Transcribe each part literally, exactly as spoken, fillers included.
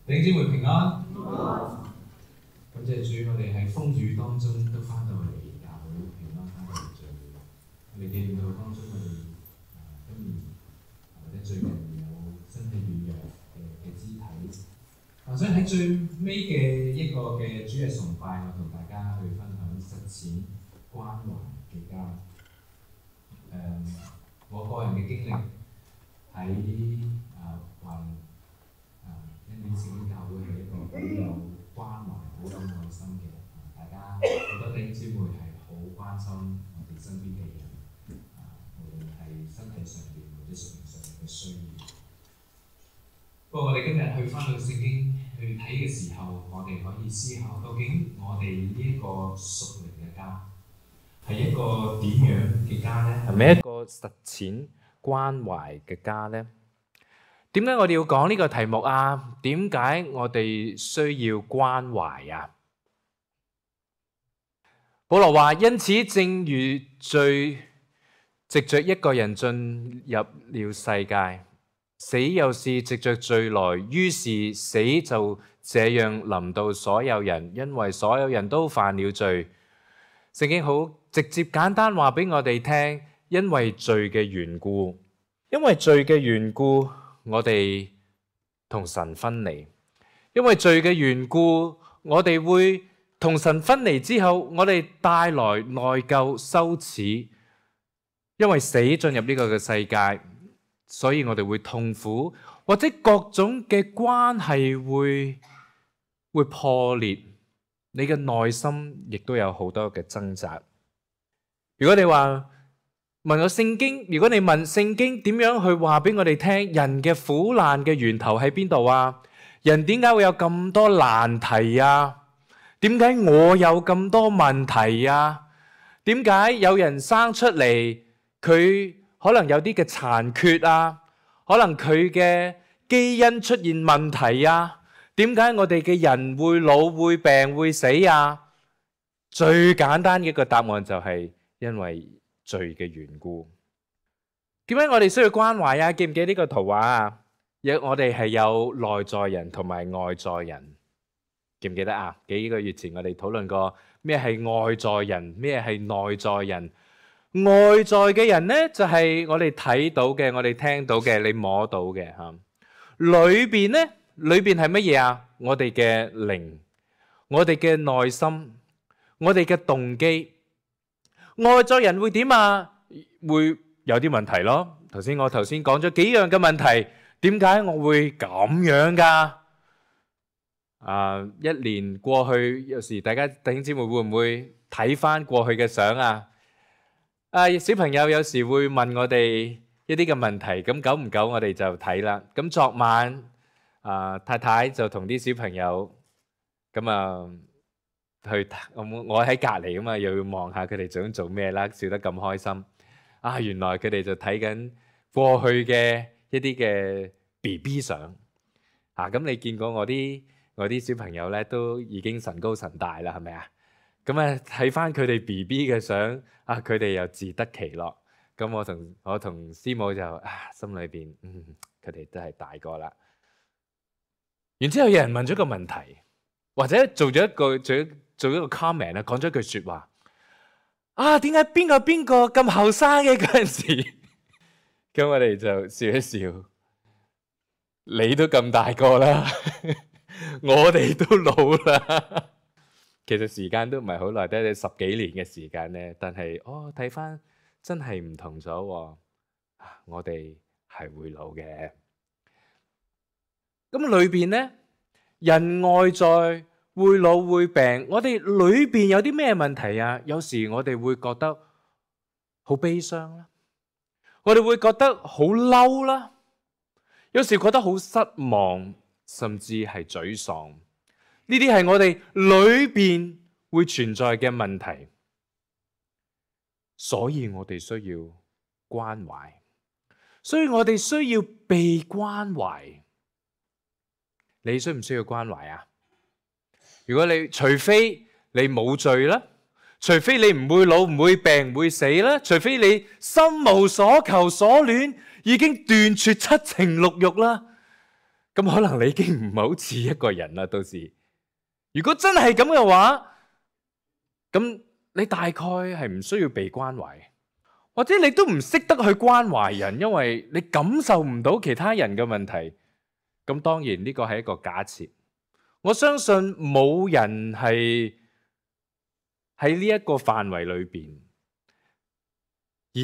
弟兄姊妹平安，感謝主，我哋喺風雨當中都翻到嚟教會平安翻到嚟聚會。我哋見到當中我哋啊今年或者最近有身體軟弱嘅嘅肢體，我想喺最尾嘅一個嘅主日崇拜，我同大家去分享實踐關懷嘅家。誒、嗯，我個人嘅經歷喺啊華恩典聖經教會係一個好有關懷、好有愛心嘅，大家好多弟兄姊妹係好關心我哋身邊嘅人，啊，無論係身體上面或者屬靈上面嘅需要。不過我哋今日去翻到聖經去睇嘅時候，我哋可以思考究竟我哋呢一個屬靈嘅家係一個點樣嘅家呢？係咪一個實踐關懷嘅家呢？點解我哋要講呢個題目啊？點解我哋需要關懷啊？保羅話：因此，正如罪藉着一個人進入了世界，死又是藉着罪來，於是死就這樣臨到所有人，因為所有人都犯了罪。聖經好直接簡單話俾我哋聽，因為罪嘅緣故，因為罪嘅緣故。我哋同神分離，因為罪嘅緣故，我哋會同神分離之後，我哋帶來內疚、羞恥。因為死進入呢個嘅世界，所以我哋會痛苦，或者各種嘅關係會會破裂。你嘅內心亦都有好多嘅掙扎。如果你話，問我聖經，如果你問聖經點樣去話俾我哋聽，人嘅苦難嘅源頭喺邊度啊？人點解會有咁多難題啊？點解我有咁多問題啊？點解有人生出嚟佢可能有啲嘅殘缺啊？可能佢嘅基因出現問題啊？點解我哋嘅人會老會病會死啊？最簡單嘅一個答案就係因為罪嘅緣故。點解我哋需要關懷啊？記唔記得呢個圖畫啊？我哋係有內在人同埋外在人，記唔記得啊？幾個月前我哋討論過咩係外在人，咩係內在人。外在嘅人呢，就係我哋睇到嘅，我哋聽到嘅，你摸到嘅吓。裏邊呢，裏邊係乜嘢啊？我哋嘅靈，我哋嘅內心，我哋嘅動機。外在人會點啊？會有啲問題咯。頭先我頭先講咗幾樣嘅問題，點解我會咁樣噶？啊，一年過去，有時大家弟兄姊妹會唔會睇翻過去嘅相啊？啊，小朋友有時會問我哋一啲嘅問題，咁久唔久我哋就睇啦。咁昨晚啊，太太就同啲小朋友咁啊。去我我喺隔籬啊嘛，又要望下佢哋想做咩啦，笑得咁開心啊！原來佢哋就睇緊過去嘅一啲嘅 B B 相啊！咁你見過我啲我啲小朋友咧，都已經神高神大啦，係咪啊？咁啊睇翻佢哋 B B 嘅相啊，佢哋又自得其樂。咁我同我同師母就啊，心裏邊嗯，佢哋都係大個啦。然之後有人問咗個問題，或者做咗一個做咗。做一個 comment 啊，講咗句說話啊，點解邊個邊個咁後生嘅嗰陣時？咁我哋就笑一笑，你都咁大個啦，我哋都老啦。其實時間都唔係好耐，得十幾年嘅時間咧。但係哦，睇翻真係唔同咗，我哋係會老嘅。咁裏邊咧，人外在。會老會病，我哋裏邊有啲咩問題啊？有時我哋會覺得好悲傷啦，我哋會覺得好嬲啦，有時覺得好失望，甚至係沮喪。呢啲係我哋裏邊會存在嘅問題，所以我哋需要關懷，所以我哋需要被關懷。你需唔需要關懷啊？如果你除非你冇罪啦，除非你唔會老唔會病唔會死啦，除非你心無所求所戀，已經斷絕七情六欲啦，咁可能你已經唔係好似一個人啦。到時如果真係咁嘅話，咁你大概係唔需要被關懷，或者你都唔識得去關懷人，因為你感受唔到其他人嘅問題。咁當然呢個係一個假設，我相信冇人係喺呢一個範圍裏邊，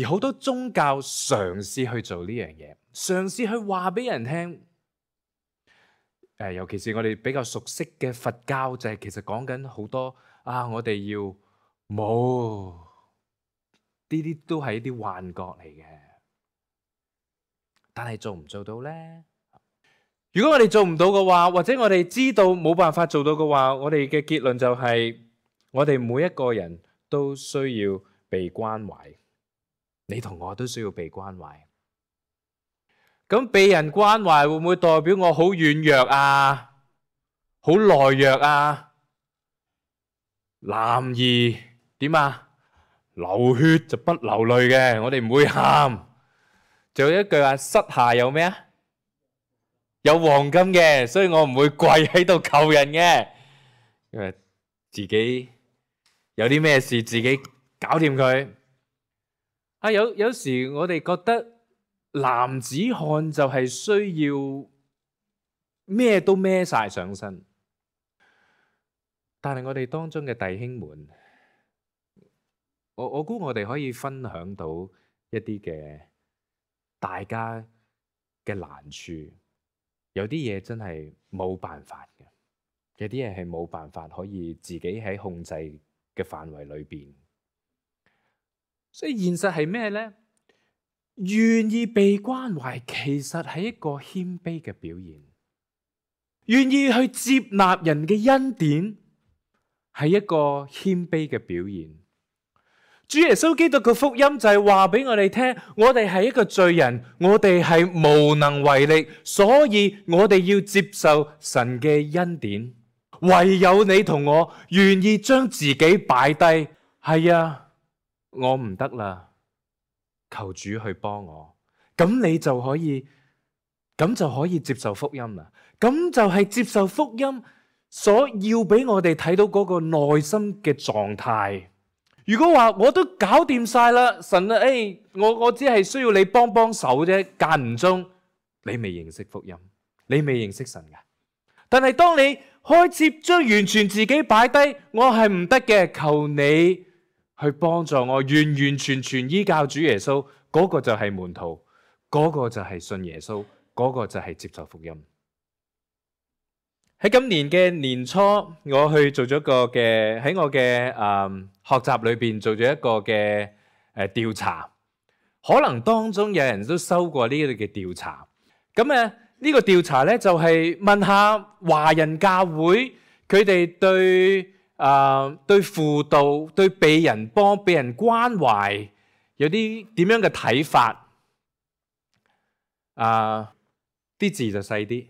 而好多宗教嘗試去做呢樣嘢，嘗試去話俾人聽。誒，尤其是我哋比較熟悉嘅佛教，就係其實講緊好多啊，我哋要冇呢啲都係一啲幻覺嚟嘅。但係做唔做到呢？如果我哋做唔到嘅話，或者我哋知道冇辦法做到嘅話，我哋嘅結論就係我哋每一個人都需要被關懷。你同我都需要被關懷。咁被人關懷會唔會代表我好軟弱啊？好懦弱啊？男兒點啊？流血就不流淚嘅，我哋唔會喊。仲有一句話，膝下有咩啊？有黃金嘅，所以我唔會跪喺度求人嘅，因為自己有啲咩事自己搞掂佢。啊，有有時我哋覺得男子漢就係需要咩都孭晒上身，但係我哋當中嘅弟兄們，我我估我哋可以分享到一啲嘅大家嘅難處。有啲嘢真係冇辦法嘅，有啲嘢係冇辦法可以自己喺控制嘅範圍裏邊。所以現實係咩呢？願意被關懷，其實係一個謙卑嘅表現。願意去接納人嘅恩典，係一個謙卑嘅表現。主耶穌基督嘅福音就係話俾我哋聽，我哋係一個罪人，我哋係無能為力，所以我哋要接受神嘅恩典。唯有你同我願意將自己擺低，係啊，我唔得啦，求主去幫我，咁你就可以，咁就可以接受福音啦。咁就係接受福音所要俾我哋睇到嗰個內心嘅狀態。如果話我都搞掂晒啦，神啊，誒，我我只係需要你幫幫手啫，間唔中，你未認識福音，你未認識神㗎。但係當你開始將完全自己擺低，我係唔得嘅，求你去幫助我，完完全全依靠主耶穌，嗰個就係門徒，嗰個就係信耶穌，嗰個就係接受福音。喺今年嘅年初，我去做咗個嘅喺我嘅誒學習裏邊做咗一個嘅誒調查，可能當中有人都收過呢啲嘅調查。咁誒呢個調查咧就係問下華人教會佢哋對誒對輔導、對被人幫、被人關懷有啲點樣嘅睇法。啊，啲字就細啲。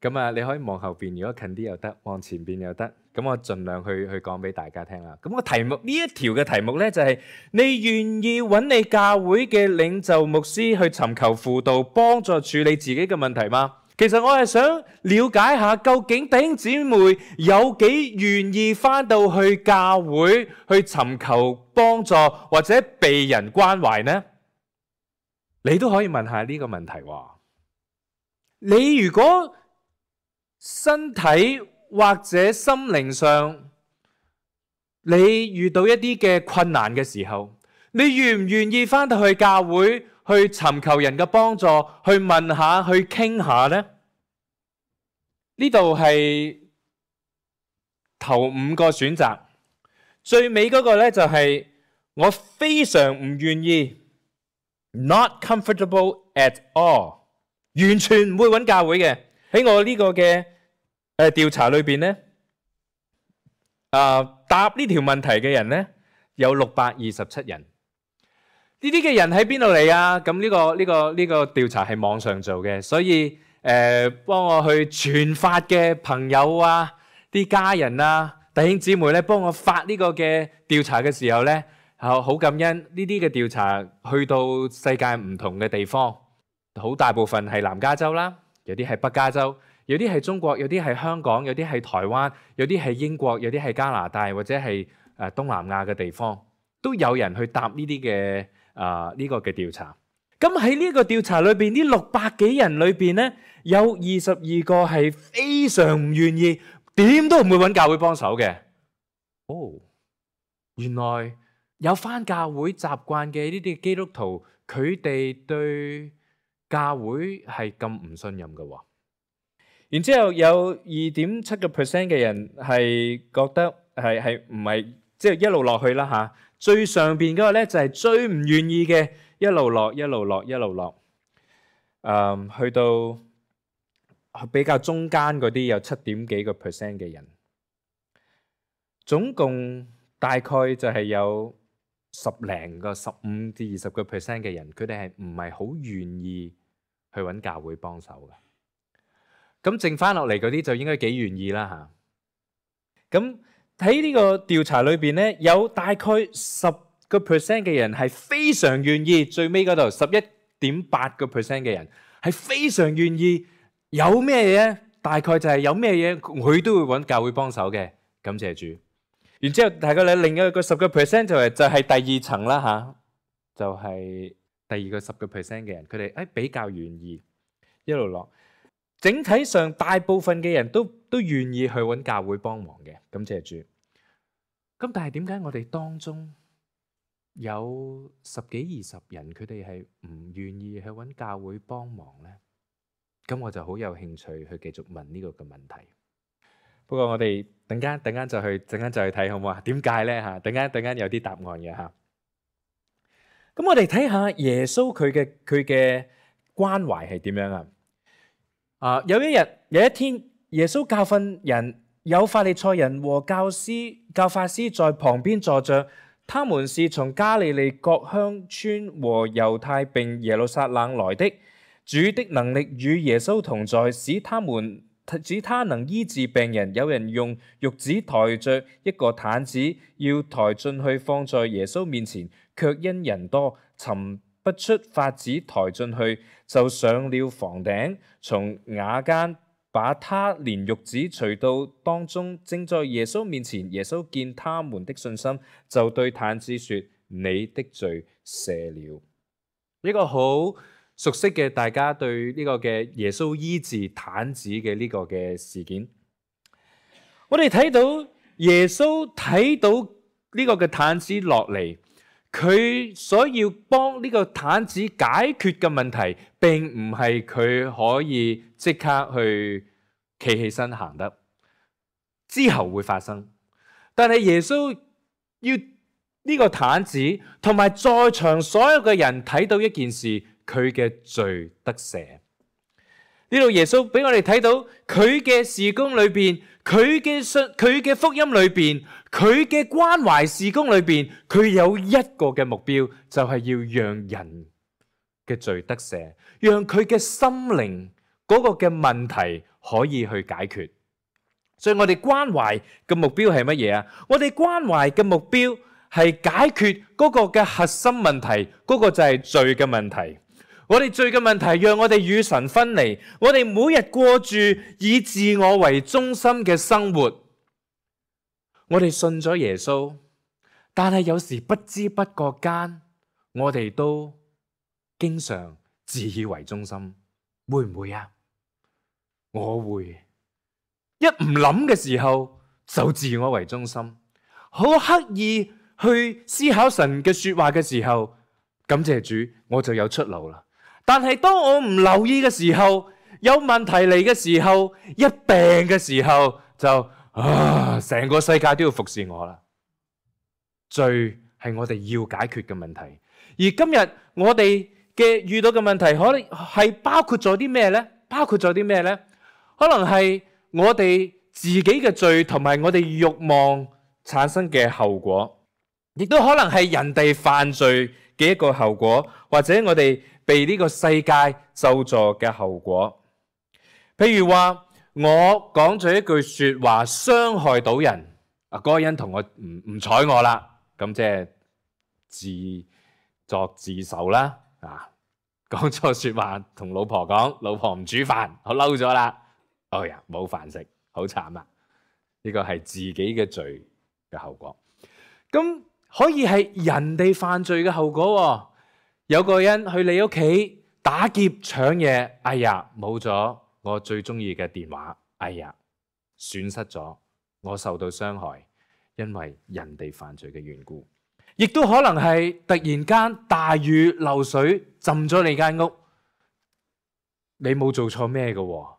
咁啊，你可以望後邊，如果近啲又得，望前邊又得。咁我盡量去去講俾大家聽啦。咁個題目呢一條嘅題目咧就係：你願意揾你教會嘅領袖牧師去尋求輔導，幫助處理自己嘅問題嗎？其實我係想了解下，究竟弟兄姊妹有幾願意翻到去教會去尋求幫助或者被人關懷呢？你都可以問下呢個問題喎。你如果身體或者心靈上，你遇到一啲嘅困難嘅時候，你願唔願意翻到去教會去尋求人嘅幫助，去問下，去傾下呢？呢度係頭五個選擇，最尾嗰個呢就係我非常唔願意 ，not comfortable at all， 完全唔會揾教會嘅。喺我呢個嘅誒調查裏邊咧，啊答呢條問題嘅人咧有六百二十七人。呢啲嘅人喺邊度嚟啊？咁呢個呢個呢個調查係網上做嘅，所以誒幫我去傳發嘅朋友啊、啲家人啊、弟兄姊妹咧，幫我發呢個嘅調查嘅時候咧，好好感恩呢啲嘅調查去到世界唔同嘅地方，好大部分係南加州啦。有啲係北加州，有啲係中國，有啲係香港，有啲係台灣，有啲係英國，有啲係加拿大或者係誒東南亞嘅地方，都有人去答呢啲嘅啊呢個嘅調查。咁喺呢個調查裏邊，呢六百幾人裏邊咧，有二十二個係非常唔願意，點都唔會揾教會幫手嘅。哦，原來有返教會習慣嘅呢啲基督徒，佢哋對教會係咁唔信任嘅喎。然之後有二點七個 percent 嘅人係覺得係係唔係即係一路落去啦嚇。最上邊嗰個咧就係最唔願意嘅，一路落一路落一路落。誒，去到比較中間嗰啲有七點幾個 percent 嘅人，總共大概就係有十零個十五至二十個 percent 嘅人，佢哋係唔係好願意去揾教會幫手嘅。咁剩翻落嚟嗰啲就應該幾願意啦嚇。咁喺呢個調查裏邊咧，有大概十個 percent 嘅人係非常願意，最尾嗰度十一點八個 percent 嘅人係非常願意。有咩嘢？大概就係有咩嘢佢都會揾教會幫手嘅。感謝主。然之後大概咧另一個十個 percent 就係就係第二層啦嚇，就係第二個十個 percent 嘅人，佢哋誒比較願意一路落。整體上大部分嘅人都都願意去揾教會幫忙嘅，感謝主。咁但係點解我哋當中有十幾二十人佢哋係唔願意去揾教會幫忙呢？咁我就好有興趣去繼續問呢個嘅問題。不過我哋等間等間就去等間就去睇好唔好啊？點解呢？嚇？等間等間有啲答案嘅嚇。咁我哋睇下耶穌佢嘅佢嘅關懷係點樣啊？啊！有一日，有一天，耶穌教訓人，有法利賽人和教師、教法師在旁邊坐着。他們是從加利利各鄉村和猶太並耶路撒冷來的。主的能力與耶穌同在，使他們使他能醫治病人。有人用褥子抬着一個毯子，要抬進去放在耶穌面前，卻因人多，尋不出法子抬進去，就上了房頂，從瓦間把他連褥子除到當中，正在耶穌面前。耶穌見他們的信心，就對毯子說：你的罪赦了。呢個好熟悉嘅，大家對呢個嘅耶穌醫治毯子嘅呢個嘅事件，我哋睇到耶穌睇到呢個嘅毯子落嚟。佢所要幫呢個毯子解決嘅問題，並唔係佢可以即刻去企起身行得，之後會發生。但係耶穌要呢個毯子同埋在場所有嘅人睇到一件事，佢嘅罪得赦。呢度耶穌俾我哋睇到佢嘅事工裏邊，佢嘅信，佢嘅福音裏邊，佢嘅關懷事工裏邊，佢有一個嘅目標，就係要讓人嘅罪得赦，讓佢嘅心靈嗰個嘅問題可以去解決。所以我哋關懷嘅目標係乜嘢啊？我哋關懷嘅目標係解決嗰個嘅核心問題，嗰個就係罪嘅問題。我哋罪嘅問題讓我哋與神分離，我哋每日過住以自我為中心嘅生活。我哋信咗耶穌，但係有時不知不覺間，我哋都經常自以為中心，會唔會啊？我會，一唔諗嘅時候就自我為中心，好刻意去思考神嘅說話嘅時候，感謝主，我就有出路啦。但係當我唔留意嘅時候，有問題嚟嘅時候，一病嘅時候，就啊，成個世界都要服侍我啦。罪係我哋要解決嘅問題，而今日我哋嘅遇到嘅問題，可能係包括咗啲咩呢？包括咗啲咩呢？可能係我哋自己嘅罪同埋我哋慾望產生嘅後果，亦都可能係人哋犯罪嘅一個後果，或者我哋被呢個世界咒詛嘅後果。譬如話我講咗一句說話傷害到人，啊，嗰個人同我唔唔睬我啦，咁即係自作自受啦，啊，講錯説話，同老婆講，老婆唔煮飯，我嬲咗啦。哎呀，冇飯食，好慘啊！呢個係自己嘅罪嘅後果。咁可以係人哋犯罪嘅後果喎。有個人去你屋企打劫搶嘢，哎呀，冇咗我最中意嘅電話，哎呀，損失咗，我受到傷害，因為人哋犯罪嘅緣故。亦都可能係突然間大雨漏水浸咗你間屋，你冇做錯咩嘅，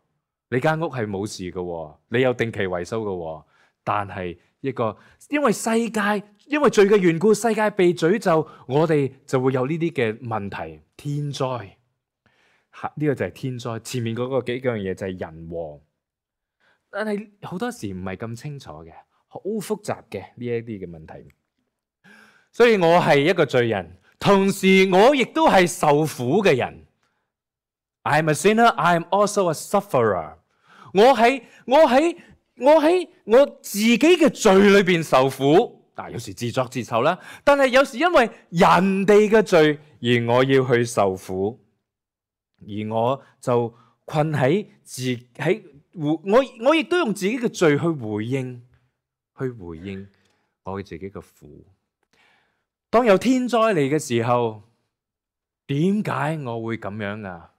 你間屋係冇事嘅，你有定期維修嘅，但係一個因為世界因為罪嘅緣故，世界被詛咒，我哋就會有呢啲嘅問題，天災。呢個就係天災，前面嗰個幾樣嘢就係人禍，但係好多時唔係咁清楚嘅，好複雜嘅呢一啲嘅問題。所以我係一個罪人，同時我亦都係受苦嘅人。I am a sinner, I am also a sufferer。我喺我喺我喺我自己嘅罪裏邊受苦，但有時自作自受啦。但係有時因為人哋嘅罪而我要去受苦，而我就困喺自喺我我亦都用自己嘅罪去回應，去回應我自己嘅苦。當有天災嚟嘅時候，點解我會咁樣噶？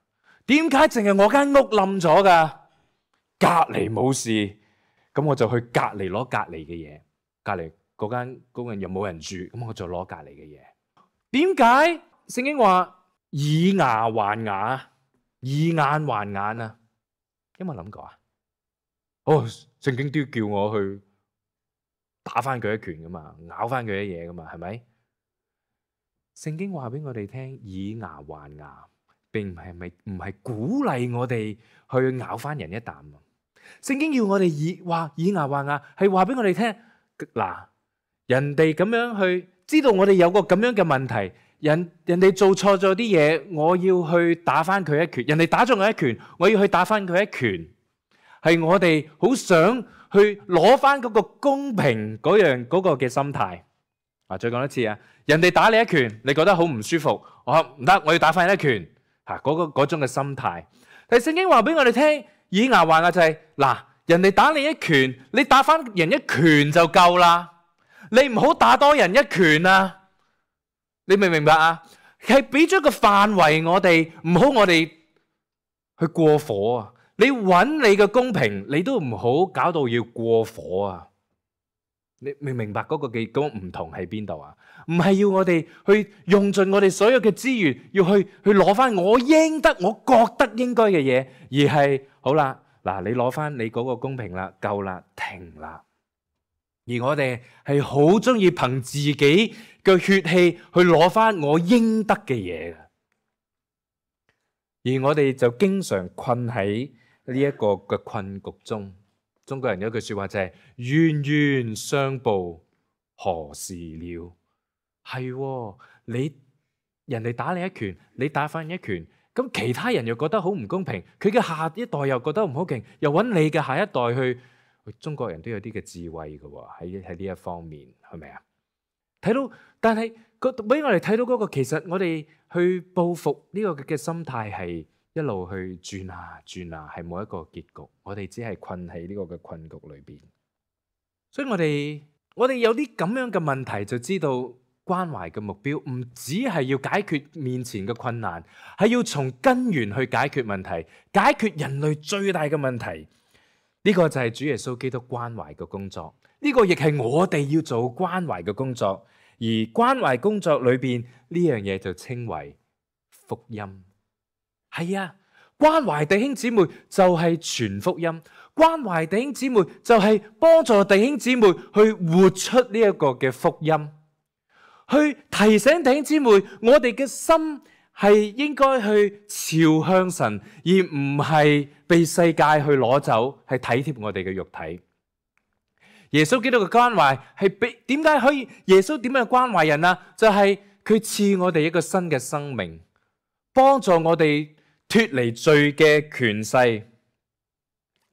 點解淨係我間屋冧咗噶？隔籬冇事，咁我就去隔籬攞隔籬嘅嘢。隔籬嗰間工人又冇人住，咁我就攞隔籬嘅嘢。點解聖經話以牙還牙，以眼還眼啊？有冇諗過啊？哦，聖經都要叫我去打翻佢一拳噶嘛，咬翻佢一嘢噶嘛，係咪？聖經話俾我哋聽，以牙還牙，並唔係咪唔係鼓勵我哋去咬翻人一啖。聖經要我哋以話以牙還牙，係話俾我哋聽，嗱，人哋咁樣去知道我哋有個咁樣嘅問題，人人哋做錯咗啲嘢，我要去打翻佢一拳，人哋打咗我一拳，我要去打翻佢一拳，係我哋好想去攞翻嗰個公平嗰樣嗰個嘅心態。啊，再講一次啊！人哋打你一拳，你覺得好唔舒服，我唔得，我要打翻一拳，吓、嗰個嗰種嘅心態。但係聖經話俾我哋聽，以牙還牙就係、是、嗱，人哋打你一拳，你打翻人一拳就夠啦，你唔好打多人一拳啊！你明唔明白啊？係俾咗個範圍我哋，唔好我哋去過火啊！你揾你嘅公平，你都唔好搞到要過火啊！你明唔明白嗰個嘅嗰個唔同喺邊度啊？唔係要我哋去用盡我哋所有嘅資源，要去去攞翻我應得、我覺得應該嘅嘢，而係好啦，嗱，你攞翻你嗰個公平啦，夠啦，停啦。而我哋係好中意憑自己嘅血氣去攞翻我應得嘅嘢嘅，而我哋就經常困喺呢一個嘅困局中。中國人有句說話就係冤冤相報何時了？係喎，你人哋打你一拳，你打翻一拳，咁其他人又覺得好唔公平，佢嘅下一代又覺得唔好勁，又揾你嘅下一代去。中國人都有啲嘅智慧嘅喎，喺喺呢一方面，係咪啊？睇到，但係個俾我哋睇到嗰個，其實我哋去報復呢個嘅心態係一路去轉啊轉啊，係冇一個結局。我哋只係困喺呢個嘅困局裏邊。所以我哋我哋有啲咁樣嘅問題，就知道關懷嘅目標唔只係要解決面前嘅困難，係要從根源去解決問題，解決人類最大嘅問題。呢個就係主耶穌基督關懷嘅工作，呢個亦係我哋要做關懷嘅工作。而關懷工作裏邊呢樣嘢就稱為福音。係啊，關懷弟兄姊妹就係傳福音，關懷弟兄姊妹就係幫助弟兄姊妹去活出呢一個嘅福音，去提醒弟兄姊妹，我哋嘅心係應該去朝向神，而唔係被世界去攞走，係體貼我哋嘅肉體。耶穌基督嘅關懷係俾點解可以？耶穌點樣關懷人啊？就係佢賜我哋一個新嘅生命，幫助我哋脫離罪嘅權勢，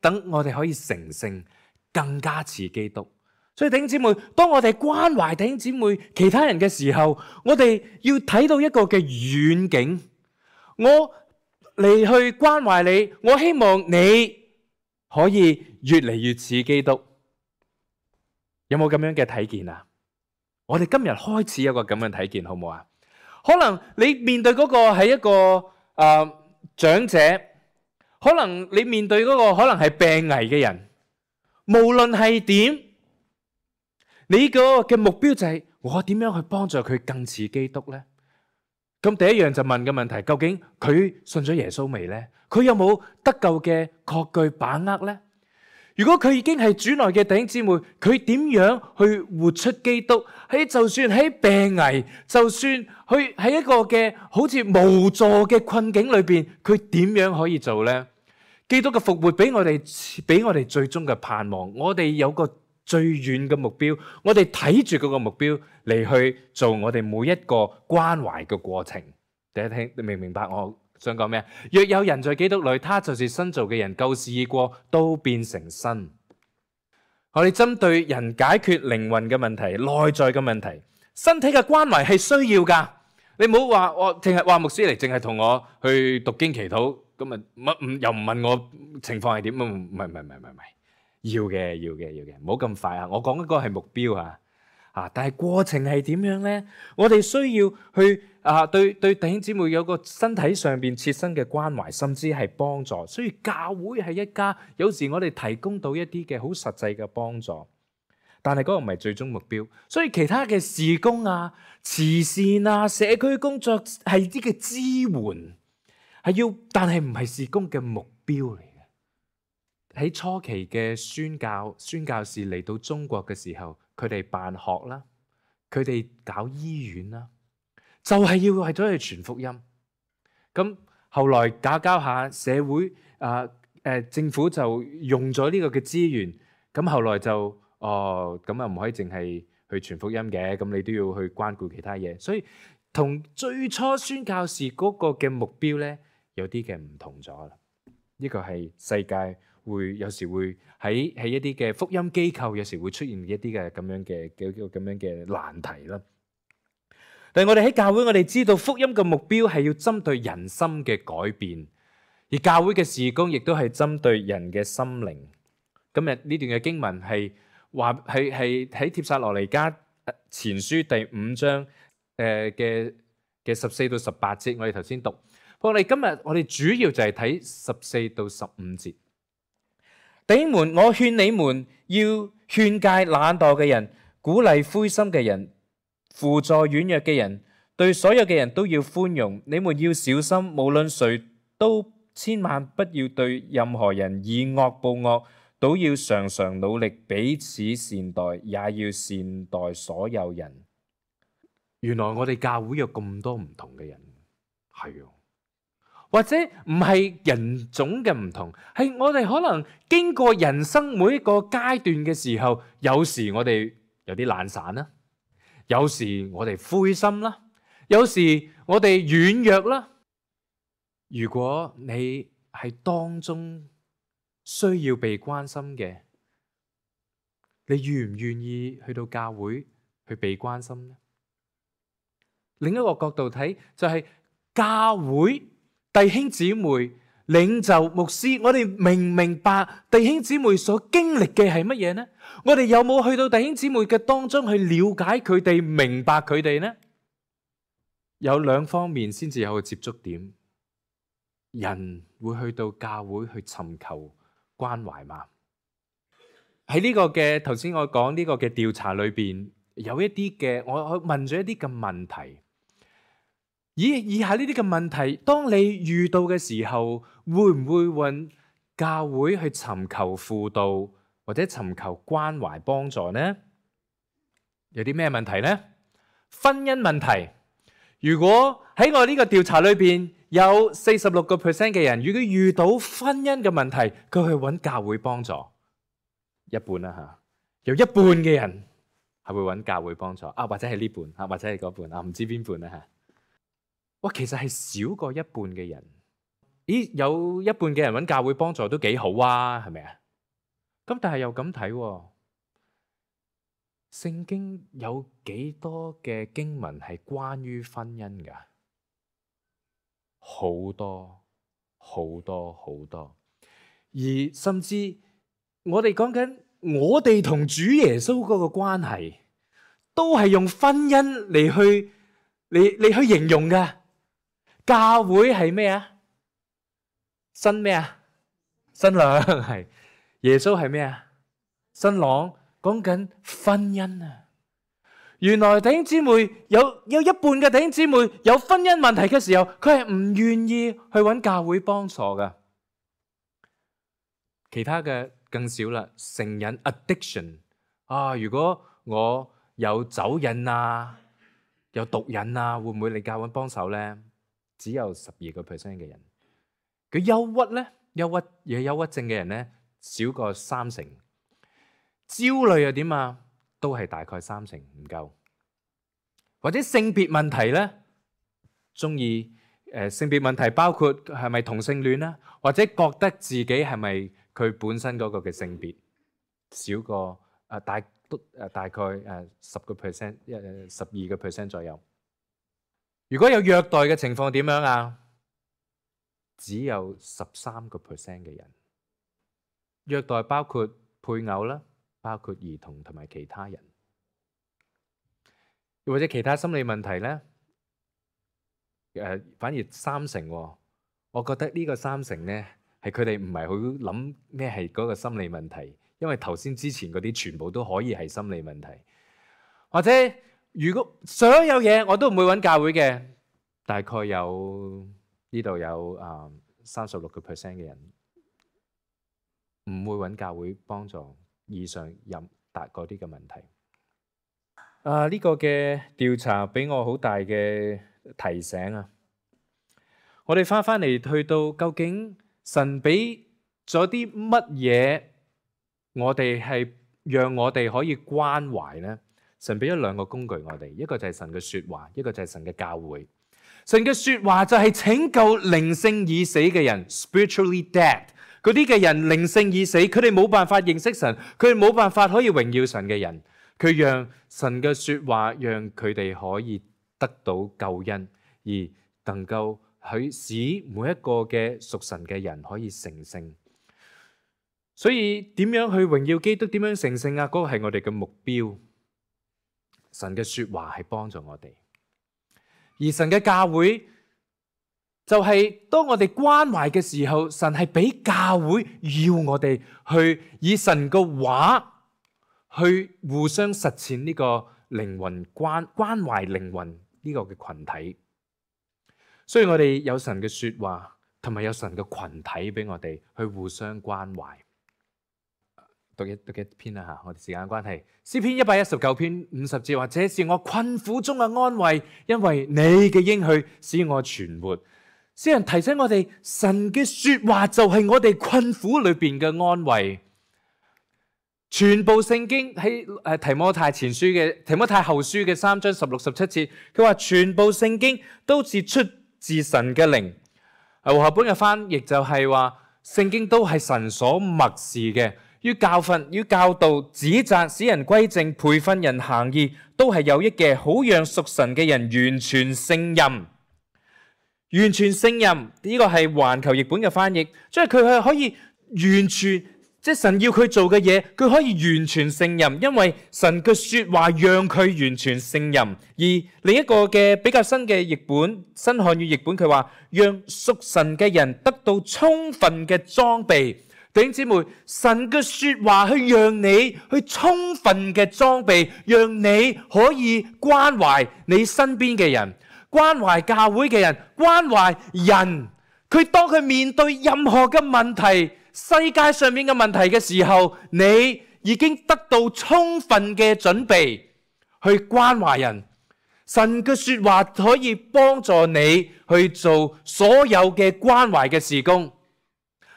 等我哋可以成聖，更加似基督。所以弟兄姊妹，當我哋關懷弟兄姊妹其他人嘅時候，我哋要睇到一個嘅遠景。我嚟去關懷你，我希望你可以越嚟越似基督。有冇咁樣嘅睇見啊？我哋今日開始有個咁樣睇見，好唔好啊？可能你面對嗰個係一個誒、呃、長者，可能你面對嗰個可能係病危嘅人，無論係點，你個嘅目標就係我點樣去幫助佢更似基督呢？咁第一樣就問嘅問題，究竟佢信咗耶穌未呢？佢有冇得救嘅確據把握呢？如果佢已經係主內嘅弟兄姊妹，佢點樣去活出基督？喺就算喺病危，就算去喺一個嘅好似無助嘅困境裏邊，佢點樣可以做呢？基督嘅復活俾我哋俾我哋最終嘅盼望，我哋有個最遠嘅目標，我哋睇住嗰個目標嚟去做我哋每一個關懷嘅過程。第一聽，你明唔明白我想講咩？若有人在基督裏，他就是新造嘅人，舊事已過，都變成新。我哋針對人解決靈魂嘅問題、內在嘅問題、身體嘅關懷係需要噶。你唔好話我淨係話牧師嚟，淨係同我去讀經祈禱，咁啊乜唔又唔問我情況係點？唔係唔係唔係唔係唔係，要嘅要嘅要嘅，唔好咁快啊！我講嗰個係目標啊。啊！但係過程係點樣呢？我哋需要去啊，對對弟兄姊妹有個身體上邊切身嘅關懷，甚至係幫助。所以教會係一家，有時我哋提供到一啲嘅好實際嘅幫助，但係嗰個唔係最終目標。所以其他嘅事工啊、慈善啊、社區工作係啲嘅支援，係要，但係唔係事工嘅目標嚟嘅。喺初期嘅宣教宣教士嚟到中國嘅時候，佢哋辦學啦，佢哋搞醫院啦，就係要為咗去傳福音。咁後來搞搞下社會啊，誒政府就用咗呢個嘅資源，咁後來就哦咁啊唔可以淨係去傳福音嘅，咁你都要去關顧其他嘢。所以同最初宣教士嗰個嘅目標咧，有啲嘅唔同咗啦。呢個係世界。會有時會喺喺一啲嘅福音機構，有時會出現一啲嘅咁樣嘅嘅咁樣嘅難題啦。但係我哋喺教會，我哋知道福音嘅目標係要針對人心嘅改變，而教會嘅事工亦都係針對人嘅心靈。今日呢段嘅經文係話係係喺帖撒羅尼迦前書第五章誒嘅嘅十四到十八節，我哋頭先讀。不過我哋今日我哋主要就係睇十四到十五節。弟兄們，我勸你們要勸誡懶惰嘅人，鼓勵灰心嘅人，輔助軟弱嘅人，對所有嘅人都要寬容。你們要小心，無論誰都千萬不要對任何人以惡報惡，都要常常努力彼此善待，也要善待所有人。原來我哋教會有咁多唔同嘅人，係啊。或者唔係人種嘅唔同，係我哋可能經過人生每一個階段嘅時候，有時我哋有啲懶散啦，有時我哋灰心啦，有時我哋軟弱啦。如果你係當中需要被關心嘅，你願唔願意去到教會去被關心呢？另一個角度睇就係教會。弟兄姊妹、領袖、牧師，我哋明唔明白弟兄姊妹所經歷嘅係乜嘢呢？我哋有冇去到弟兄姊妹嘅當中去了解佢哋、明白佢哋呢？有兩方面先至有個接觸點。人會去到教會去尋求關懷嘛？喺呢個嘅頭先我講呢個嘅調查裏邊，有一啲嘅我我問咗一啲嘅問題。以以下呢啲嘅問題，當你遇到嘅時候，會唔會揾教會去尋求輔導或者尋求關懷幫助呢？有啲咩問題呢？婚姻問題。如果喺我呢個調查裏邊有四十六個 percent 嘅人，如果遇到婚姻嘅問題，佢去揾教會幫助，一半啦吓，有一半嘅人係會揾教會幫助啊，或者係呢半啊，或者係嗰半啊，唔知邊半啦吓。哇，其實係少過一半嘅人。咦，有一半嘅人揾教會幫助都幾好啊，係咪啊？咁但係又咁睇喎，聖經有幾多嘅經文係關於婚姻㗎？好多好多好多，而甚至我哋講緊我哋同主耶穌嗰個關係，都係用婚姻嚟去嚟嚟去形容嘅。教會係咩啊？新咩啊？新娘係。耶穌係咩啊？新郎。講緊婚姻啊！原來弟兄姊妹有有一半嘅弟兄姊妹有婚姻問題嘅時候，佢係唔願意去揾教會幫助噶。其他嘅更少啦，成癮 addiction 啊！如果我有酒癮啊，有毒癮啊，會唔會嚟教會幫手咧？只有十二個 percent 嘅人。佢憂鬱咧，憂鬱有憂鬱症嘅人咧，少過三成。焦慮又點啊？都係大概三成唔夠。或者性別問題咧，中意誒性別問題包括係咪同性戀啦，或者覺得自己係咪佢本身嗰個嘅性別少過誒大都誒大概誒十個 percent 誒十二個 percent 左右。如果有虐待嘅情況點樣啊？只有十三個 percent 嘅人。虐待包括配偶啦。包括兒童同埋其他人，又或者其他心理問題咧，誒反而三成喎。我覺得呢個三成咧係佢哋唔係好諗咩係嗰個心理問題，因為頭先之前嗰啲全部都可以係心理問題。或者如果所有嘢我都唔會揾教會嘅，大概有呢度有啊三十六個 percent 嘅人唔會揾教會幫助。以上任達嗰啲嘅問題，啊呢、這個嘅調查俾我好大嘅提醒啊！我哋翻翻嚟去到究竟神俾咗啲乜嘢，我哋係讓我哋可以關懷呢？神俾咗兩個工具我哋，一個就係神嘅說話，一個就係神嘅教會。神嘅說話就係拯救靈性已死嘅人 ，spiritually dead。嗰啲嘅人靈性已死，佢哋冇辦法認識神，佢哋冇辦法可以榮耀神嘅人，佢讓神嘅說話讓佢哋可以得到救恩，而能夠去使每一個嘅屬神嘅人可以成聖。所以點樣去榮耀基督，點樣成聖啊？嗰個係我哋嘅目標。神嘅說話係幫助我哋，而神嘅教會。就係當我哋關懷嘅時候，神係俾教會要我哋去以神嘅話去互相實踐呢個靈魂關關懷靈魂呢個嘅群體。所以我哋有神嘅說話，同埋有神嘅群體俾我哋去互相關懷。讀一讀一篇啦吓，我哋時間關係，詩篇一百一十九篇五十節話：這是我困苦中嘅安慰，因為你嘅應許使我存活。詩人提醒我哋，神嘅說話就係我哋困苦裏邊嘅安慰。全部聖經喺誒提摩太前書嘅提摩太後書嘅三章十六十七節，佢話全部聖經都是出自神嘅靈。和合本嘅翻譯就係話，聖經都係神所默示嘅，要教訓、要教導、指責、使人歸正、培訓人行義，都係有益嘅，好讓屬神嘅人完全勝任。完全勝任呢個係環球譯本嘅翻譯，即係佢係可以完全，即係神要佢做嘅嘢，佢可以完全勝任，因為神嘅說話讓佢完全勝任。而另一個嘅比較新嘅譯本，新漢語譯本，佢話讓屬神嘅人得到充分嘅裝備。弟兄姊妹，神嘅說話去讓你去充分嘅裝備，讓你可以關懷你身邊嘅人。關懷教會嘅人，關懷人，佢當佢面對任何嘅問題，世界上面嘅問題嘅時候，你已經得到充分嘅準備去關懷人。神嘅說話可以幫助你去做所有嘅關懷嘅事工。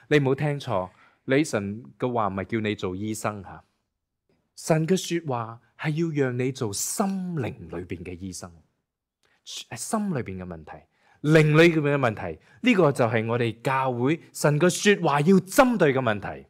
你唔好聽錯，你神嘅話唔係叫你做醫生吓，神嘅說話係要讓你做心靈裏邊嘅醫生。係心裏邊嘅問題，靈裏邊嘅問題，呢個就係我哋教會神嘅說話要針對嘅問題。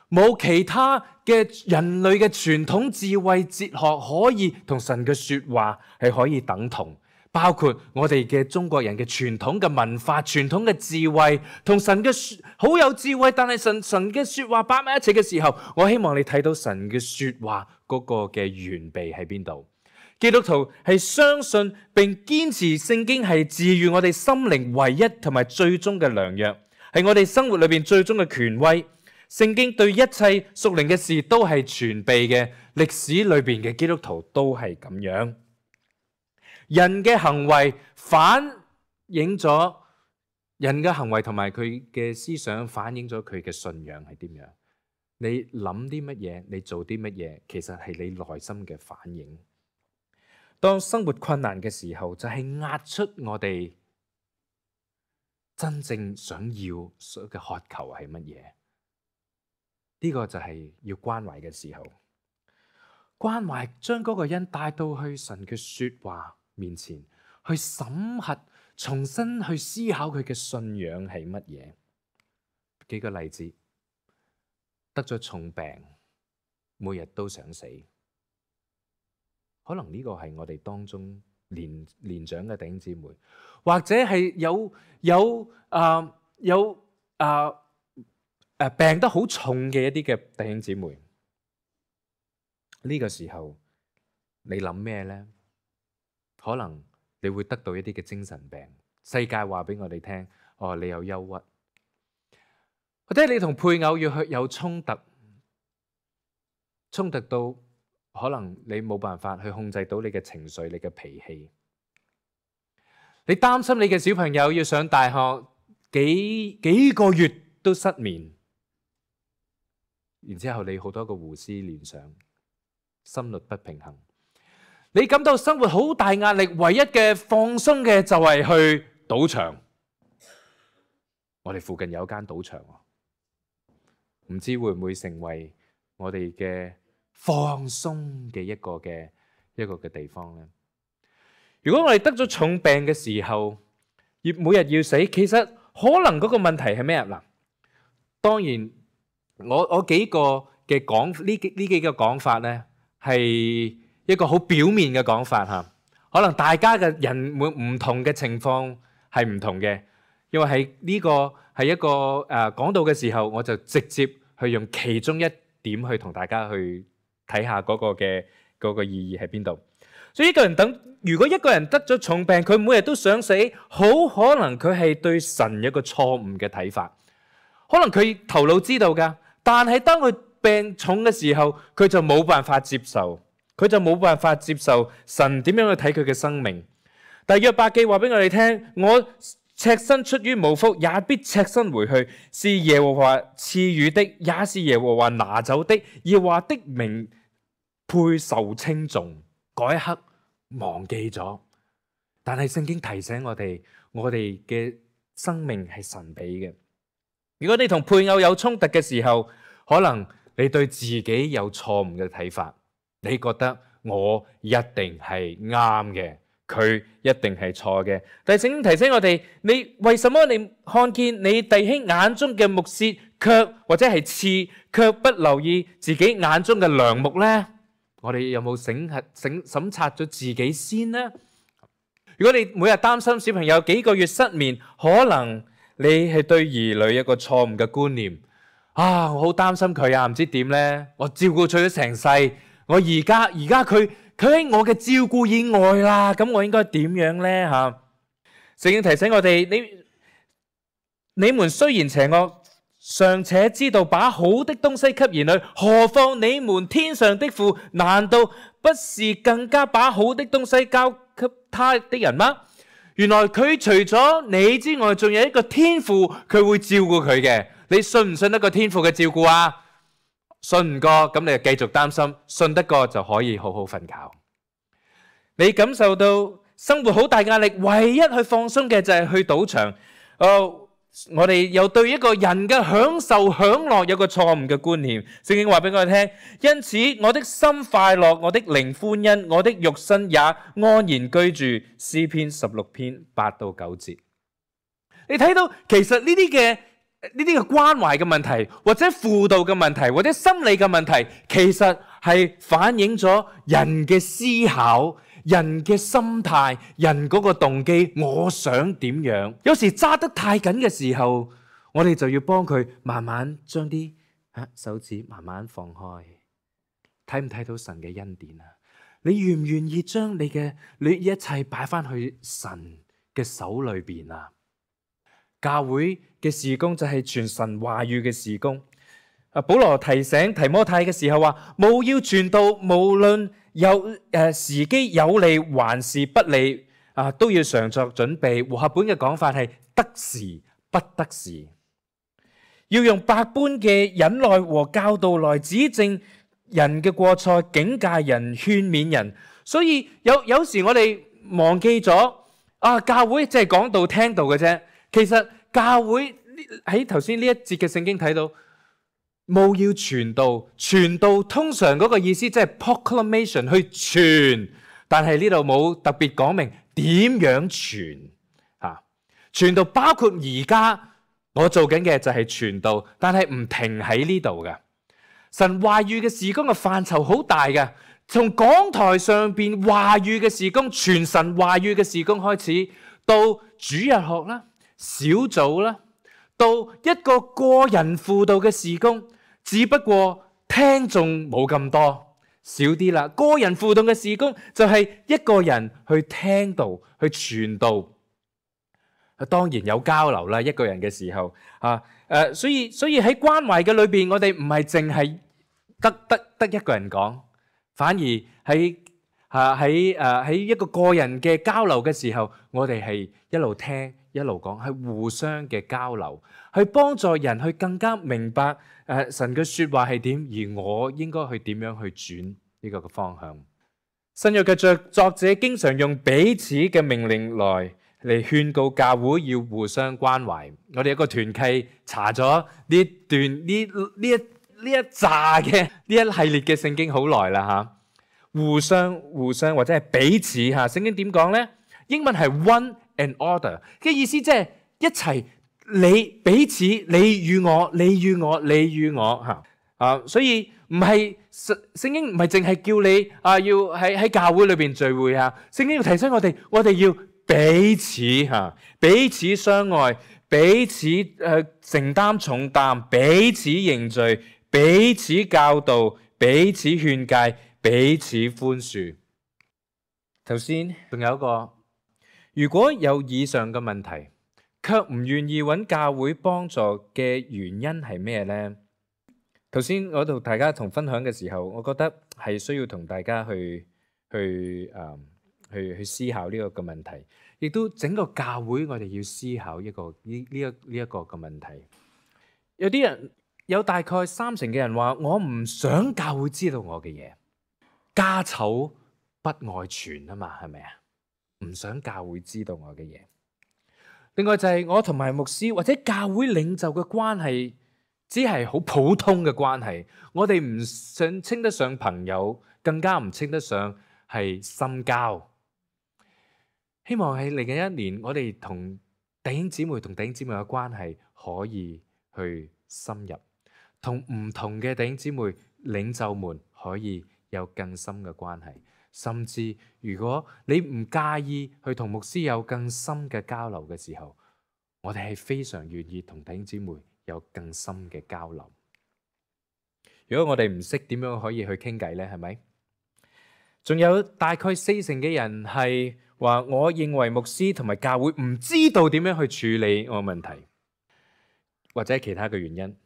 冇其他嘅人類嘅傳統智慧哲學可以同神嘅說話係可以等同，包括我哋嘅中國人嘅傳統嘅文化、傳統嘅智慧，同神嘅說好有智慧，但係神神嘅說話擺埋一齊嘅時候，我希望你睇到神嘅說話嗰個嘅完備喺邊度。基督徒係相信並堅持聖經係治癒我哋心靈唯一同埋最終嘅良藥，係我哋生活裏邊最終嘅權威。聖經對一切屬靈嘅事都係全備嘅，歷史裏邊嘅基督徒都係咁樣。人嘅行為反映咗人嘅行為同埋佢嘅思想，反映咗佢嘅信仰係點樣。你諗啲乜嘢，你做啲乜嘢，其實係你內心嘅反應。當生活困難嘅時候，就係壓出我哋真正想要嘅渴求係乜嘢？呢個就係要關懷嘅時候，關懷將嗰個人帶到去神嘅說話面前，去審核，重新去思考佢嘅信仰係乜嘢。幾個例子，得咗重病，每日都想死。可能呢個係我哋當中年年長嘅弟兄姊妹，或者係有有啊、呃、有啊誒、呃、病得好重嘅一啲嘅弟兄姊妹。呢、這個時候你諗咩咧？可能你會得到一啲嘅精神病。世界話俾我哋聽，哦，你有憂鬱，或者你同配偶要去有衝突，衝突到。可能你冇辦法去控制到你嘅情緒、你嘅脾氣。你擔心你嘅小朋友要上大學，幾幾個月都失眠，然之後你好多個胡思亂想，心律不平衡。你感到生活好大壓力，唯一嘅放鬆嘅就係去賭場。我哋附近有間賭場，唔知會唔會成為我哋嘅放鬆嘅一個嘅一個嘅地方咧。如果我哋得咗重病嘅時候，要每日要死，其實可能嗰個問題係咩啊？嗱，當然我我幾個嘅講呢呢幾個講法咧，係一個好表面嘅講法吓。可能大家嘅人每唔同嘅情況係唔同嘅，因為係呢個係一個誒講到嘅時候，我就直接去用其中一點去同大家去睇下嗰個嘅嗰個意義喺邊度。所以一個人等，如果一個人得咗重病，佢每日都想死，好可能佢係對神一個錯誤嘅睇法。可能佢頭腦知道噶，但係當佢病重嘅時候，佢就冇辦法接受，佢就冇辦法接受神點樣去睇佢嘅生命。但約伯記話俾我哋聽，我赤身出於母腹，也必赤身回去，是耶和華賜予的，也是耶和華拿走的。耶和華的名配受稱頌。嗰一刻忘記咗，但係聖經提醒我哋，我哋嘅生命係神俾嘅。如果你同配偶有衝突嘅時候，可能你對自己有錯誤嘅睇法，你覺得我一定係啱嘅，佢一定係錯嘅。但係聖經提醒我哋，你為什麼你看見你弟兄眼中嘅木屑，卻或者係刺，卻不留意自己眼中嘅梁木呢？我哋有冇審核、審審察咗自己先呢？如果你每日擔心小朋友幾個月失眠，可能你係對兒女一個錯誤嘅觀念。啊，我好擔心佢啊，唔知點呢？我照顧佢咗成世，我而家而家佢佢喺我嘅照顧以外啦，咁我應該點樣呢？吓，聖經提醒我哋，你你們雖然邪惡，尚且知道把好的東西給兒女，何況你們天上的父，難道不是更加把好的東西交給他的人嗎？原來佢除咗你之外，仲有一個天父，佢會照顧佢嘅。你信唔信得過天父嘅照顧啊？信唔過，咁你就繼續擔心；信得過就可以好好瞓覺。你感受到生活好大壓力，唯一去放鬆嘅就係去賭場。哦。我哋又對一個人嘅享受享樂有個錯誤嘅觀念。聖經話俾我哋聽，因此我的心快樂，我的靈歡欣，我的肉身也安然居住。詩篇十六篇八到九節，你睇到其實呢啲嘅呢啲嘅關懷嘅問題，或者輔導嘅問題，或者心理嘅問題，其實係反映咗人嘅思考、人嘅心態、人嗰個動機，我想點樣？有時揸得太緊嘅時候，我哋就要幫佢慢慢將啲啊手指慢慢放開。睇唔睇到神嘅恩典啊？你願唔願意將你嘅你一切擺翻去神嘅手裏邊啊？教會嘅事工就係傳神話語嘅事工。啊，保羅提醒提摩太嘅時候話：務要傳道，無論有誒、呃、時機有利還是不利，啊都要常作準備。和合本嘅講法係得時不得時，要用百般嘅忍耐和教導來指正人嘅過錯，警戒人，勸勉人。所以有有時我哋忘記咗啊，教會即係講道聽道嘅啫。其實教會喺頭先呢一節嘅聖經睇到，務要傳道，傳道通常嗰個意思即係 proclamation 去傳，但係呢度冇特別講明點樣傳啊。傳道包括而家我做緊嘅就係傳道，但係唔停喺呢度嘅。神話語嘅事工嘅範疇好大嘅，從講台上邊話語嘅事工，傳神話語嘅事工開始，到主日學啦、小組啦，到一個個人輔導嘅事工，只不過聽眾冇咁多，少啲啦。個人輔導嘅事工就係一個人去聽道、去傳道。當然有交流啦，一個人嘅時候啊，誒，所以所以喺關懷嘅裏邊，我哋唔係淨係得得得一個人講，反而喺啊喺誒喺一個個人嘅交流嘅時候，我哋係一路聽一路講，係互相嘅交流，去幫助人去更加明白誒神嘅說話係點，而我應該去點樣去轉呢個嘅方向。新約嘅作作者經常用彼此嘅命令來嚟勸告教會要互相關懷。我哋一個團契查咗呢段呢呢一呢一紮嘅呢一系列嘅聖經好耐啦吓，互相互相或者係彼此吓。聖經點講咧？英文係 one and order 嘅意思，即係一齊，你彼此，你與我，你與我，你與我吓啊。所以唔係聖聖經唔係淨係叫你啊要喺喺教會裏邊聚會啊。聖經要提醒我哋，我哋要彼此吓，彼此相愛，彼此誒承擔重擔，彼此認罪，彼此教導，彼此勸誡，彼此寬恕。頭先仲有一個，如果有以上嘅問題，卻唔願意揾教會幫助嘅原因係咩呢？頭先我同大家同分享嘅時候，我覺得係需要同大家去去誒。嗯去去思考呢個嘅問題，亦都整個教會我哋要思考一個呢呢一呢一個嘅問題。有啲人有大概三成嘅人話：我唔想教會知道我嘅嘢，家醜不外傳啊嘛，係咪啊？唔想教會知道我嘅嘢。另外就係我同埋牧師或者教會領袖嘅關係，只係好普通嘅關係。我哋唔想稱得上朋友，更加唔稱得上係深交。希望喺嚟緊一年，我哋同弟兄姊妹同弟兄姊妹嘅關係可以去深入，同唔同嘅弟兄姊妹領袖們可以有更深嘅關係。甚至如果你唔介意去同牧師有更深嘅交流嘅時候，我哋係非常願意同弟兄姊妹有更深嘅交流。如果我哋唔識點樣可以去傾偈呢？係咪？仲有大概四成嘅人係話，我認為牧師同埋教會唔知道點樣去處理我嘅問題，或者其他嘅原因。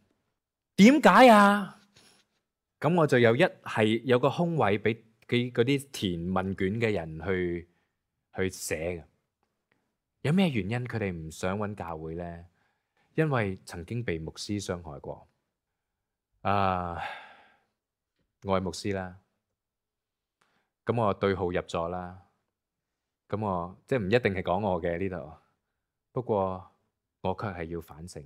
點解啊？咁我就有一係有個空位俾嗰啲填問卷嘅人去去寫嘅。有咩原因佢哋唔想揾教會呢？因為曾經被牧師傷害過。啊，我係牧師啦。咁我對號入座啦，咁我即係唔一定係講我嘅呢度，不過我卻係要反省，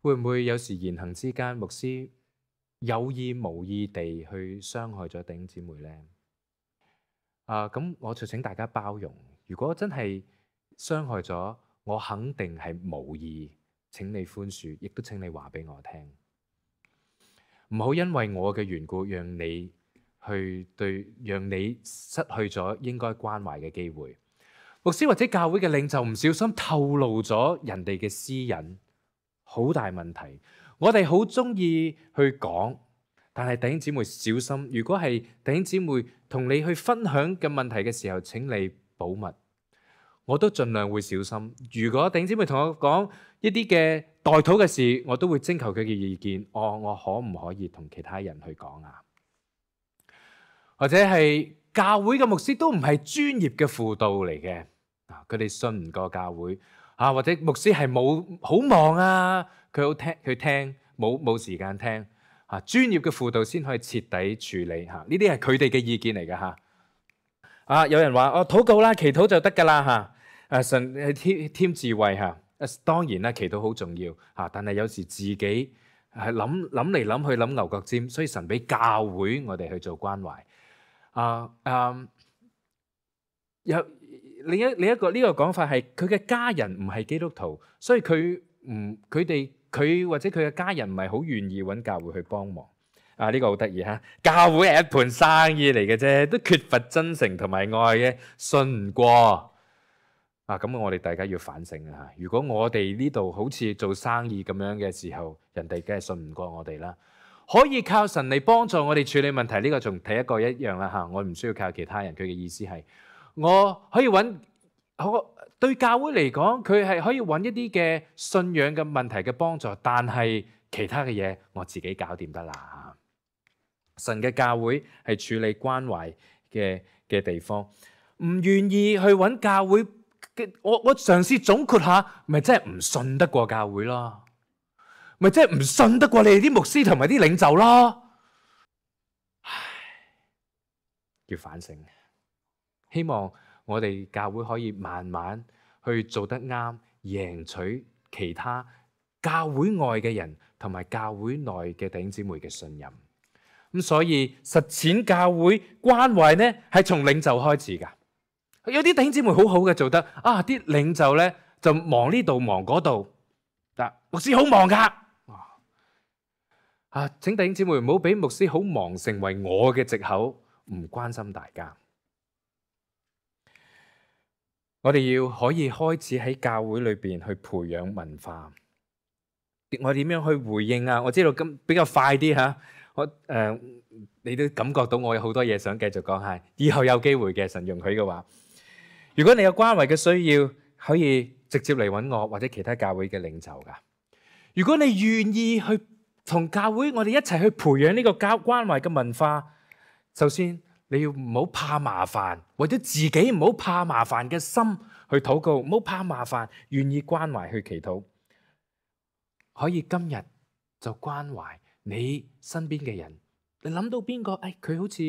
會唔會有時言行之間，牧師有意無意地去傷害咗弟兄姊妹呢？啊，咁我就請大家包容，如果真係傷害咗，我肯定係無意，請你寬恕，亦都請你話俾我聽，唔好因為我嘅緣故讓你去對讓你失去咗應該關懷嘅機會。牧師或者教會嘅領袖唔小心透露咗人哋嘅私隱，好大問題。我哋好中意去講，但係弟兄姊妹小心，如果係弟兄姊妹同你去分享嘅問題嘅時候，請你保密。我都盡量會小心。如果弟兄姊妹同我講一啲嘅代禱嘅事，我都會徵求佢嘅意見。哦，我可唔可以同其他人去講啊？或者係教會嘅牧師都唔係專業嘅輔導嚟嘅。佢哋信唔過教會啊，或者牧師係冇好忙啊，佢好聽佢聽冇冇時間聽啊。專業嘅輔導先可以徹底處理嚇，呢啲係佢哋嘅意見嚟㗎嚇。啊，有人話哦，禱告啦，祈禱就得㗎啦嚇。誒神係添添智慧嚇。誒當然啦，祈禱好重要嚇，但係有時自己係諗諗嚟諗去諗牛角尖，所以神俾教會我哋去做關懷。啊啊有。另一另一個呢個講法係佢嘅家人唔係基督徒，所以佢唔佢哋佢或者佢嘅家人唔係好願意揾教會去幫忙。啊，呢個好得意嚇！教會係一盤生意嚟嘅啫，都缺乏真誠同埋愛嘅，信唔過啊！咁我哋大家要反省啊！如果我哋呢度好似做生意咁樣嘅時候，人哋梗係信唔過我哋啦。可以靠神嚟幫助我哋處理問題，呢個仲睇一個一樣啦嚇。我唔需要靠其他人，佢嘅意思係。我可以揾，我對教會嚟講，佢係可以揾一啲嘅信仰嘅問題嘅幫助，但係其他嘅嘢我自己搞掂得啦。神嘅教會係處理關懷嘅嘅地方，唔願意去揾教會嘅，我我嘗試總括下，咪真係唔信得過教會咯，咪真係唔信得過你哋啲牧師同埋啲領袖咯。唉，要反省。希望我哋教會可以慢慢去做得啱，贏取其他教會外嘅人同埋教會內嘅弟兄姊妹嘅信任。咁所以實踐教會關懷呢，係從領袖開始噶。有啲弟兄姊妹好好嘅做得啊，啲領袖呢就忙呢度忙嗰度，嗱，牧師好忙噶。啊，請弟兄姊妹唔好俾牧師好忙成為我嘅藉口，唔關心大家。我哋要可以開始喺教會裏邊去培養文化。我點樣去回應啊？我知道咁比較快啲吓，我誒、呃，你都感覺到我有好多嘢想繼續講下。以後有機會嘅，神容許嘅話，如果你有關懷嘅需要，可以直接嚟揾我或者其他教會嘅領袖噶。如果你願意去同教會，我哋一齊去培養呢個教關懷嘅文化，首先，你要唔好怕麻煩，為咗自己唔好怕麻煩嘅心去禱告，唔好怕麻煩，願意關懷去祈禱，可以今日就關懷你身邊嘅人。你諗到邊個？誒，佢好似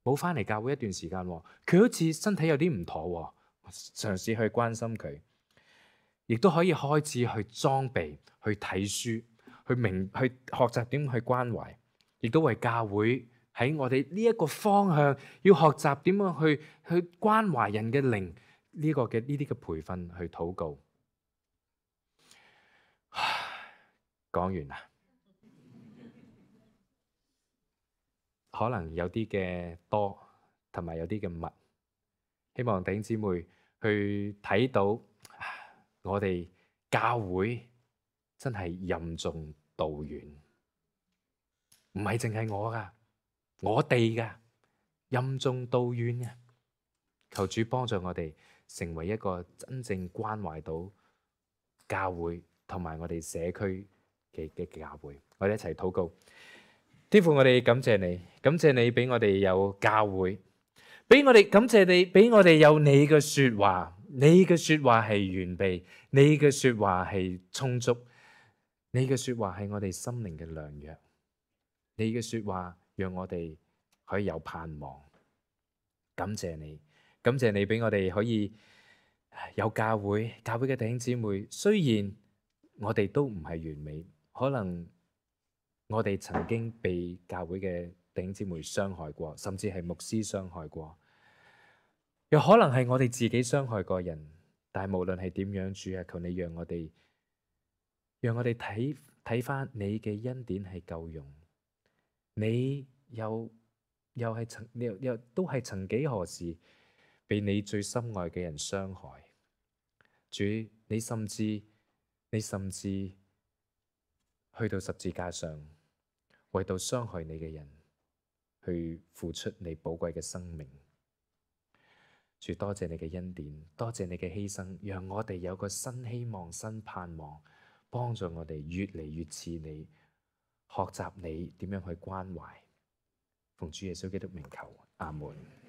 冇返嚟教會一段時間，佢好似身體有啲唔妥，嘗試去關心佢，亦都可以開始去裝備、去睇書、去明、去學習點去關懷，亦都為教會。喺我哋呢一個方向，要學習點樣去去關懷人嘅靈呢個嘅呢啲嘅培訓去禱告。講完啦，可能有啲嘅多，同埋有啲嘅密，希望弟兄姊妹去睇到我哋教會真係任重道遠，唔係淨係我噶。我哋嘅任重道遠嘅，求主幫助我哋成為一個真正關懷到教會同埋我哋社區嘅嘅教會。我哋一齊禱告。天父，我哋感謝你，感謝你俾我哋有教會，俾我哋感謝你俾我哋有你嘅說話，你嘅說話係完備，你嘅說話係充足，你嘅說話係我哋心靈嘅良藥，你嘅說話讓我哋可以有盼望。感謝你，感謝你俾我哋可以有教會，教會嘅弟兄姊妹。雖然我哋都唔係完美，可能我哋曾經被教會嘅弟兄姊妹傷害過，甚至係牧師傷害過，又可能係我哋自己傷害過人。但係無論係點樣，主啊，求你讓我哋，讓我哋睇睇翻你嘅恩典係夠用。你有又係曾又又都係曾幾何時被你最心愛嘅人傷害。主，你甚至你甚至去到十字架上，為到傷害你嘅人去付出你寶貴嘅生命。主，多謝你嘅恩典，多謝你嘅犧牲，讓我哋有個新希望、新盼望，幫助我哋越嚟越似你，學習你點樣去關懷。奉主耶穌基督名求，阿門。